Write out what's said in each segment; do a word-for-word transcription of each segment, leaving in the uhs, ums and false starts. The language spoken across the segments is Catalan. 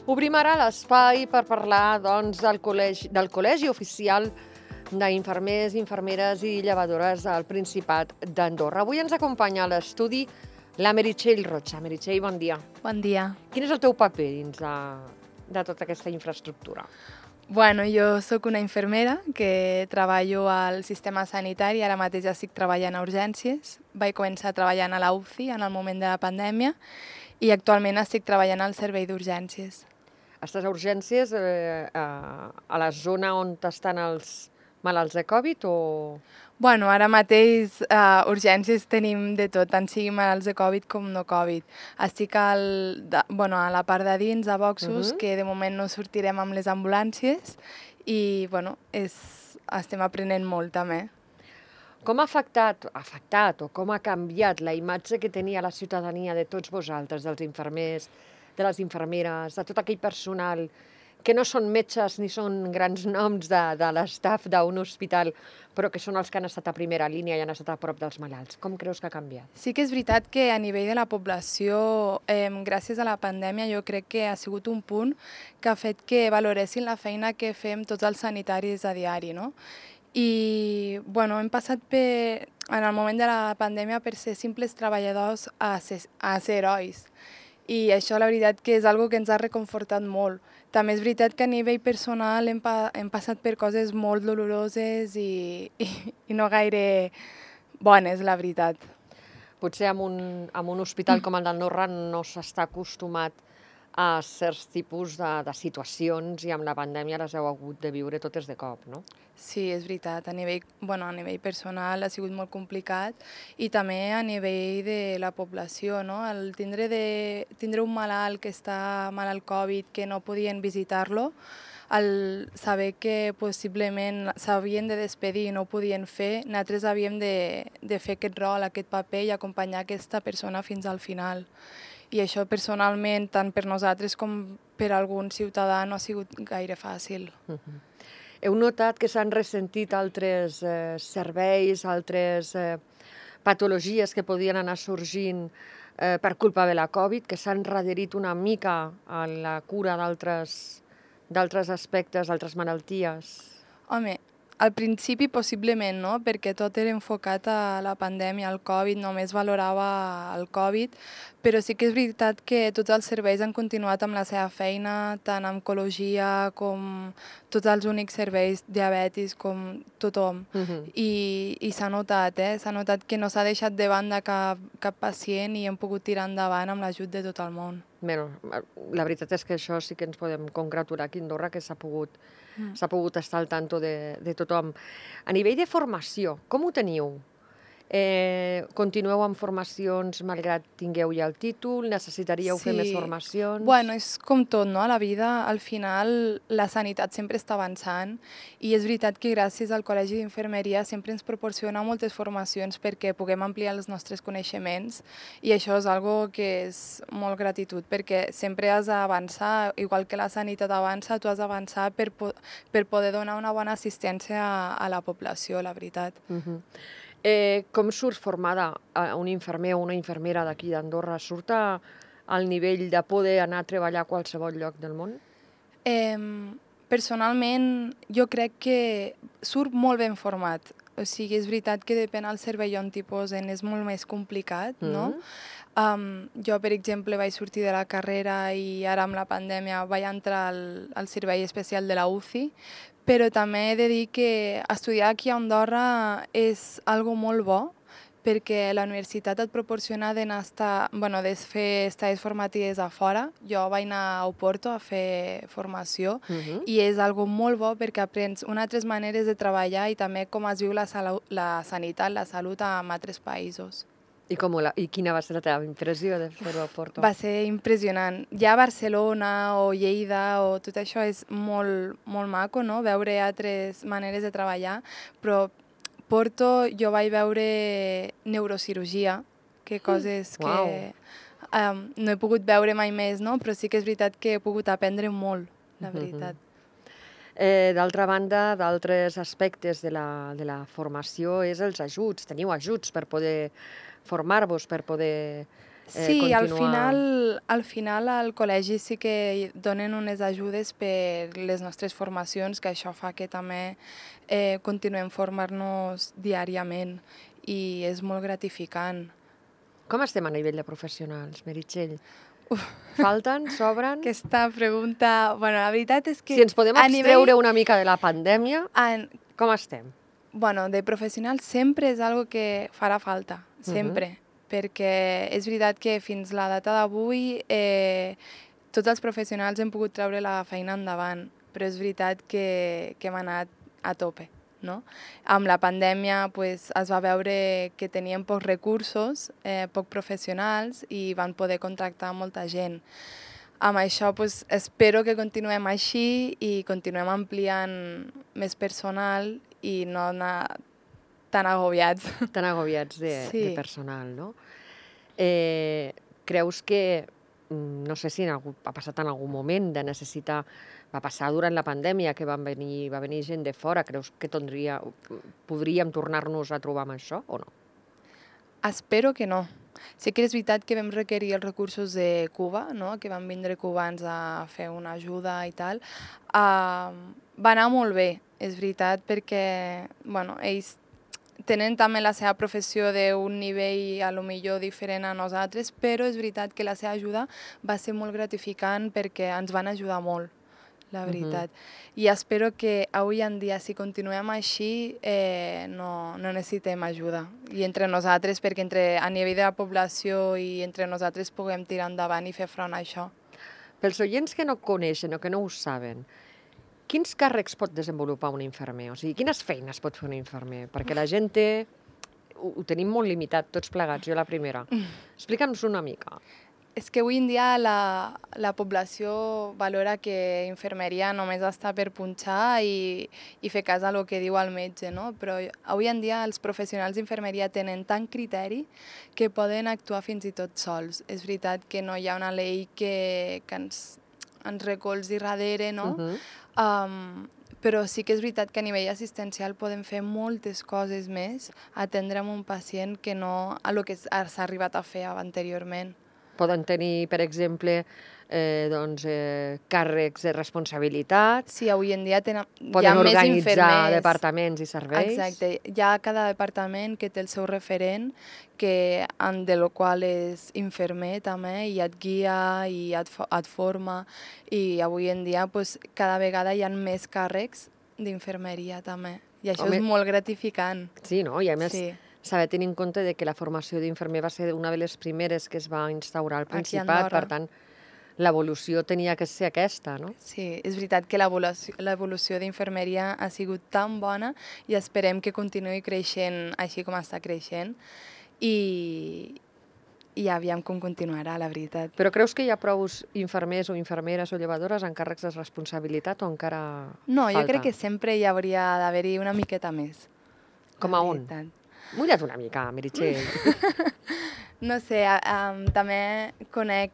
Obrim ara l'espai per parlar doncs, del, col·legi, del Col·legi Oficial d'Infermers, Infermeres i Llevadores del Principat d'Andorra. Avui ens acompanya a l'estudi la Meritxell Rocha. Meritxell, bon dia. Bon dia. Quin és el teu paper dins de, de tota aquesta infraestructura? Bueno, jo sóc una infermera que treballo al sistema sanitari, ara mateix estic treballant a urgències. Vaig començar treballant a la U C I en el moment de la pandèmia i actualment estic treballant al servei d'urgències. Estàs a urgències eh, a, a la zona on estan els malalts de Covid o...? Bueno, ara mateix a uh, urgències tenim de tot, tant sigui malalts de Covid com no Covid. Estic al, de, bueno, a la part de dins, a boxos, uh-huh. que de moment no sortirem amb les ambulàncies i bueno, és, estem aprenent molt també. Com ha afectat, afectat o com ha canviat la imatge que tenia la ciutadania de tots vosaltres, dels infermers, de les infermeres, de tot aquell personal que no són metges ni són grans noms de, de l'estaf d'un hospital, però que són els que han estat a primera línia i han estat a prop dels malalts. Com creus que ha canviat? Sí que és veritat que a nivell de la població, eh, gràcies a la pandèmia, jo crec que ha sigut un punt que ha fet que valoressin la feina que fem tots els sanitaris a diari, no? I bueno, hem passat per, en el moment de la pandèmia per ser simples treballadors a ser, a ser herois. I això la veritat que és algo que ens ha reconfortat molt. També és veritat que a nivell personal hem, pa hem passat per coses molt doloroses i, i, i no gaire bones, la veritat. Potser en un, en un hospital com el d'Andorra no s'està acostumat a certs tipus de, de situacions i amb la pandèmia les heu hagut de viure totes de cop, no? Sí, és veritat. A nivell, bueno, a nivell personal ha sigut molt complicat i també a nivell de la població, no? El tindre, de, tindre un malalt que està malalt Covid, que no podien visitar-lo, el saber que possiblement s'havien de despedir i no ho podien fer, nosaltres havíem de, de fer aquest rol, aquest paper i acompanyar aquesta persona fins al final. I això personalment, tant per nosaltres com per algun ciutadà, no ha sigut gaire fàcil. Uh-huh. Heu notat que s'han ressentit altres eh, serveis, altres eh, patologies que podien anar sorgint eh, per culpa de la Covid, que s'han readherit una mica a la cura d'altres d'altres aspectes, d'altres malalties? Home, al principi possiblement no, perquè tot era enfocat a la pandèmia, al Covid, només valorava el Covid, però sí que és veritat que tots els serveis han continuat amb la seva feina, tant en oncologia com tots els únics serveis diabètics, com tothom. Uh-huh. I i s'ha notat, eh? S'ha notat que no s'ha deixat de banda cap, cap pacient i hem pogut tirar endavant amb l'ajut de tot el món. Bueno, la veritat és que això sí que ens podem congratular aquí a Andorra, que s'ha pogut, mm. s'ha pogut estar al tanto de, de tothom. A nivell de formació, com ho teniu? Eh, continueu amb formacions malgrat tingueu ja el títol? Necessitaríeu sí. fer més formacions? Bueno, és com tot, no? A la vida, al final, la sanitat sempre està avançant i és veritat que gràcies al Col·legi d'Infermeria sempre ens proporciona moltes formacions perquè puguem ampliar els nostres coneixements i això és algo que és molt gratitud perquè sempre has d'avançar, igual que la sanitat avança, tu has d'avançar per, po per poder donar una bona assistència a, a la població, la veritat. Uh-huh. Eh, com surt formada un infermer o una infermera d'aquí d'Andorra? Surt a, al nivell de poder anar a treballar a qualsevol lloc del món? Eh, personalment, jo crec que surt molt ben format. O sigui, és veritat que depèn del servei on t'hi posen, és molt més complicat, mm-hmm. no? Um, jo, per exemple, vaig sortir de la carrera i ara amb la pandèmia vaig entrar al, al servei especial de la U C I, però també he de dir que estudiar aquí a Andorra és algo molt bo perquè la universitat et proporciona d'anar a estar, bueno, de fer estades formatives a fora. Jo vaig anar a Oporto a fer formació uh-huh. i és algo molt bo perquè aprens unes altres maneres de treballar i també com es viu la, la sanitat, la salut en altres països. I, com la, I quina va ser la teva impressió de fer-ho a Porto? Va ser impressionant. Ja Barcelona o Lleida o tot això és molt, molt maco, no? Veure altres maneres de treballar, però Porto jo vaig veure neurocirurgia, que coses que um, no he pogut veure mai més, no? Però sí que és veritat que he pogut aprendre molt, la veritat. Uh-huh. Eh, d'altra banda, d'altres aspectes de la, de la formació és els ajuts. Teniu ajuts per poder formar-vos, per poder eh, Sí, continuar... al final, al final al col·legi sí que donen unes ajudes per les nostres formacions, que això fa que també eh, continuem formant-nos diàriament i és molt gratificant. Com estem a nivell de professionals, Meritxell? Falten? Sobren? Aquesta pregunta... Bueno, la veritat és que... Si ens podem a abstreure nivell... una mica de la pandèmia, En... com estem? Bueno, de professionals sempre és algo que farà falta, sempre. Uh-huh. Perquè és veritat que fins la data d'avui eh, tots els professionals hem pogut treure la feina endavant, però és veritat que, que hem anat a tope, no? Amb la pandèmia pues, es va veure que teníem pocs recursos, eh, poc professionals i van poder contractar molta gent. Amb això pues, espero que continuem així i continuem ampliant més personal i no anar tan agobiats. Tan agobiats de, Sí. de personal, no? Eh, creus que, no sé si en algú, ha passat en algun moment de necessitar, va passar durant la pandèmia que van venir, va venir gent de fora, creus que tindria, podríem tornar-nos a trobar amb això o no? Espero que no. Sí que és veritat que vam requerir els recursos de Cuba, no? Que van vindre cubans a fer una ajuda i tal. Uh, va anar molt bé, és veritat, perquè bueno, ells tenen també la seva professió d'un nivell a lo millor diferent a nosaltres, però és veritat que la seva ajuda va ser molt gratificant perquè ens van ajudar molt, la veritat. Uh-huh. I espero que avui en dia, si continuem així, eh, no, no necessitem ajuda. I entre nosaltres, perquè entre, a nivell de la població i entre nosaltres puguem tirar endavant i fer front a això. Pels oients que no coneixen o que no ho saben, quins càrrecs pot desenvolupar un infermer? O sigui, quines feines pot fer un infermer? Perquè la gent té... Ho, ho tenim molt limitat, tots plegats, jo la primera. Explica'ns una mica. És que avui en dia la, la població valora que infermeria només està per punxar i, i fer cas a lo que diu el metge, no? Però avui en dia els professionals d'infermeria tenen tant criteri que poden actuar fins i tot sols. És veritat que no hi ha una llei que, que ens, ens recolzi darrere, no? Uh-huh. Um, però sí que és veritat que a nivell assistencial podem fer moltes coses més, atendre un pacient que no a lo que s'ha arribat a fer anteriorment. Poden tenir, per exemple, eh, doncs, eh, càrrecs de responsabilitat. Sí, avui en dia tenen, hi ha més infermers. Poden organitzar departaments i serveis. Exacte. Hi ha cada departament que té el seu referent, que, de lo qual és infermer també, i et guia i et, et forma. I avui en dia pues, cada vegada hi ha més càrrecs d'infermeria també. I això Home, és molt gratificant. Sí, no? I a més... Sí. Saber tenir en compte de que la formació d'infermer va ser una de les primeres que es va instaurar al Principat, per tant, l'evolució tenia que ser aquesta, no? Sí, és veritat que l'evolució d'infermeria ha sigut tan bona i esperem que continuï creixent així com està creixent i, i aviam com continuarà, la veritat. Però creus que hi ha prou infermers o infermeres o llevadores en càrrecs de responsabilitat o encara no, falta? Jo crec que sempre hi hauria d'haver-hi una miqueta més. Com a on? Mulla't una mica, Meritxell. No sé, um, també conec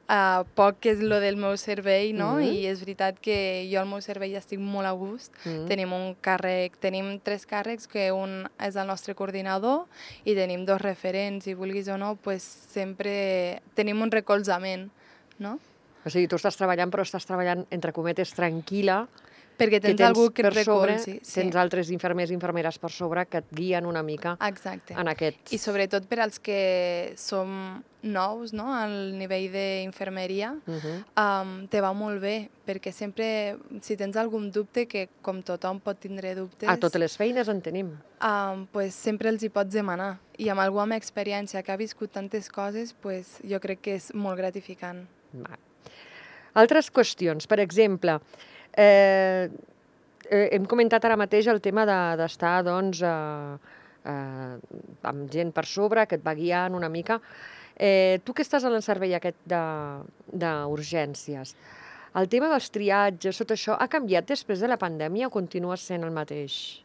uh, poc què és lo del meu servei, no? Mm-hmm. I és veritat que jo al meu servei estic molt a gust. Mm-hmm. Tenim un càrrec, tenim tres càrrecs, que un és el nostre coordinador i tenim dos referents, i vulguis o no, pues sempre tenim un recolzament, no? O sigui, tu estàs treballant, però estàs treballant, entre cometes, tranquil·la, perquè tens, que tens algú que et recolzi. Sí. Tens altres infermers i infermeres per sobre que et guien una mica. Exacte. En aquests... I sobretot per als que som nous, no?, al nivell d'infermeria, uh-huh. um, te va molt bé, perquè sempre, si tens algun dubte, que com tothom pot tindre dubtes... A totes les feines en tenim. Um, pues sempre els hi pots demanar. I amb algú amb experiència que ha viscut tantes coses, pues jo crec que és molt gratificant. Va. Altres qüestions, per exemple... Eh, eh, hem comentat ara mateix el tema d'estar de, doncs, eh, eh, amb gent per sobre, que et va guiant una mica. Eh, tu que estàs en el servei aquest d'urgències, el tema dels triatges, tot això, ha canviat després de la pandèmia o continua sent el mateix?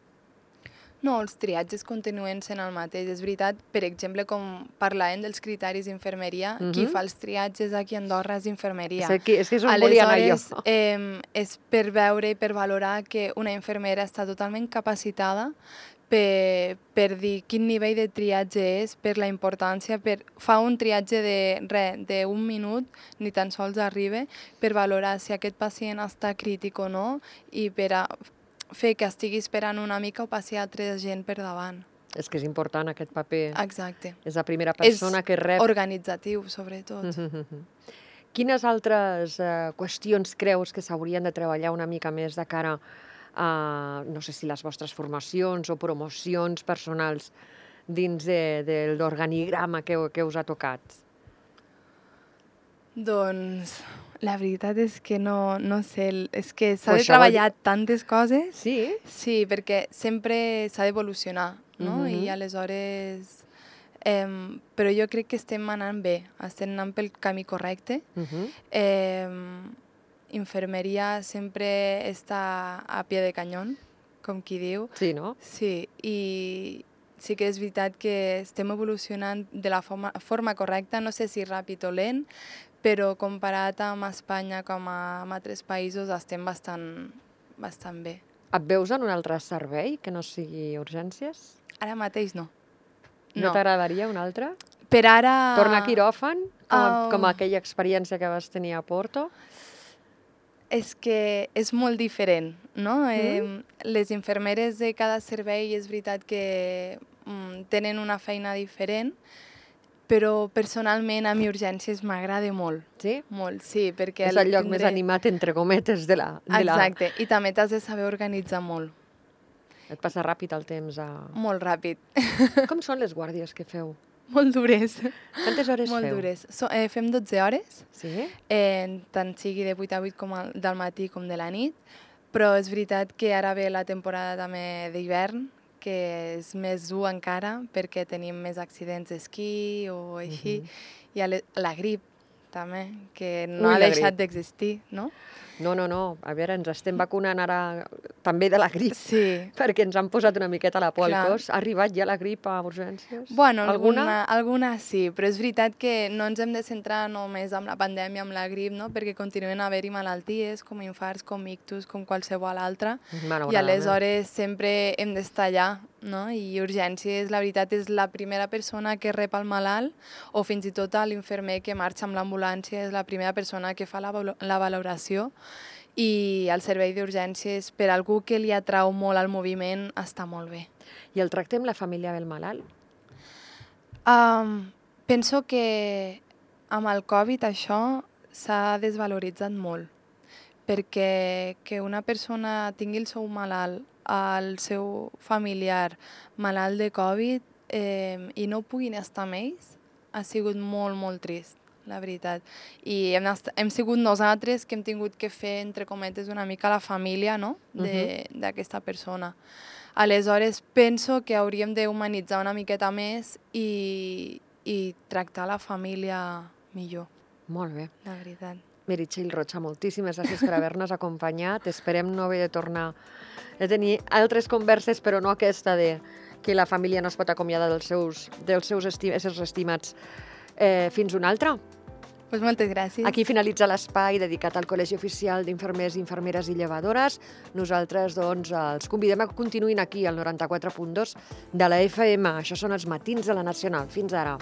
No, els triatges continuen sent el mateix. És veritat, per exemple, com parlàvem dels criteris d'infermeria, uh-huh. qui fa els triatges aquí a Andorra és infermeria. És que, és que és on volia anar jo. Aleshores, eh, és per veure i per valorar que una infermera està totalment capacitada per, per dir quin nivell de triatge és, per la importància, per fa un triatge de res, d'un minut, ni tan sols arriba, per valorar si aquest pacient està crític o no i per a fer que estigui esperant una mica o passi altra gent per davant. És que és important aquest paper. Exacte. És la primera persona és que rep... organitzatiu, sobretot. Mm-hmm. Quines altres eh, qüestions creus que s'haurien de treballar una mica més de cara a, no sé si les vostres formacions o promocions personals dins de, de l'organigrama que, que us ha tocat? Doncs la veritat és que no, no sé, és que s'ha Pues de treballar vol... tantes coses. Sí? Sí, perquè sempre s'ha d'evolucionar, no? Mm-hmm. I aleshores... Eh, però jo crec que estem anant bé, estem anant pel camí correcte. Mm-hmm. Eh, infermeria sempre està a pie de canyón, com qui diu. Sí, no? Sí, i sí que és veritat que estem evolucionant de la forma, forma correcta, no sé si ràpid o lent, però comparat amb Espanya com a, amb altres països estem bastant, bastant bé. Et veus en un altre servei que no sigui urgències? Ara mateix no. No, no. T'agradaria un altre? Per ara... Tornar a quiròfan, com, a, uh... com aquella experiència que vas tenir a Porto? És que és molt diferent, no? Mm. Eh, les infermeres de cada servei és veritat que mm, tenen una feina diferent, però personalment a mi urgències m'agrada molt. Sí? Molt, sí, perquè... És el lloc tindré... més animat, entre cometes, de la... De Exacte, la... i també t'has de saber organitzar molt. Et passa ràpid el temps a... Molt ràpid. Com són les guàrdies que feu? Molt dures. Quantes hores molt feu? Molt dures. So, eh, fem dotze hores, sí? eh, tant sigui de vuit a vuit com el, del matí com de la nit, però és veritat que ara ve la temporada també d'hivern, que és més dur encara, perquè tenim més accidents d'esquí o així, uh-huh. i la, la grip també, que no Ui, ha deixat d'existir, no? No, no, no. A veure, ens estem vacunant ara també de la grip, sí. perquè ens han posat una miqueta la por al cos. Ha arribat ja la grip a urgències? Bueno, alguna? Alguna, alguna sí, però és veritat que no ens hem de centrar només en la pandèmia, amb la grip, no? Perquè continuen a haver-hi malalties, com infarts, com ictus, com qualsevol altra, i aleshores sempre hem d'estar allà, no? I urgències, la veritat, és la primera persona que rep el malalt, o fins i tot l'infermer que marxa amb l'ambulància és la primera persona que fa la, la valoració, i el servei d'urgències, per algú que li atrau molt al moviment, està molt bé. I el tracte amb la família del malalt? Um, penso que amb el Covid això s'ha desvaloritzat molt, perquè que una persona tingui el seu malalt, el seu familiar malalt de Covid, eh, i no puguin estar amb ells, ha sigut molt, molt trist, la veritat. I hem, hem sigut nosaltres que hem tingut que fer, entre cometes, una mica la família, no? d'aquesta uh-huh. persona. Aleshores, penso que hauríem d'humanitzar una miqueta més i, i tractar la família millor. Molt bé. La veritat. Meritxell Rocha, moltíssimes gràcies per haver-nos acompanyat. Esperem no haver de tornar a tenir altres converses, però no aquesta de que la família no es pot acomiadar dels seus, dels seus esti- éssers estimats. Eh, fins una altra. Pues moltes gràcies. Aquí finalitza l'espai dedicat al Col·legi Oficial d'Infermers, Infermeres i Llevadores. Nosaltres, doncs, els convidem a que continuïn aquí, al noranta-quatre punt dos de la F M. Això són els matins de la Nacional. Fins ara.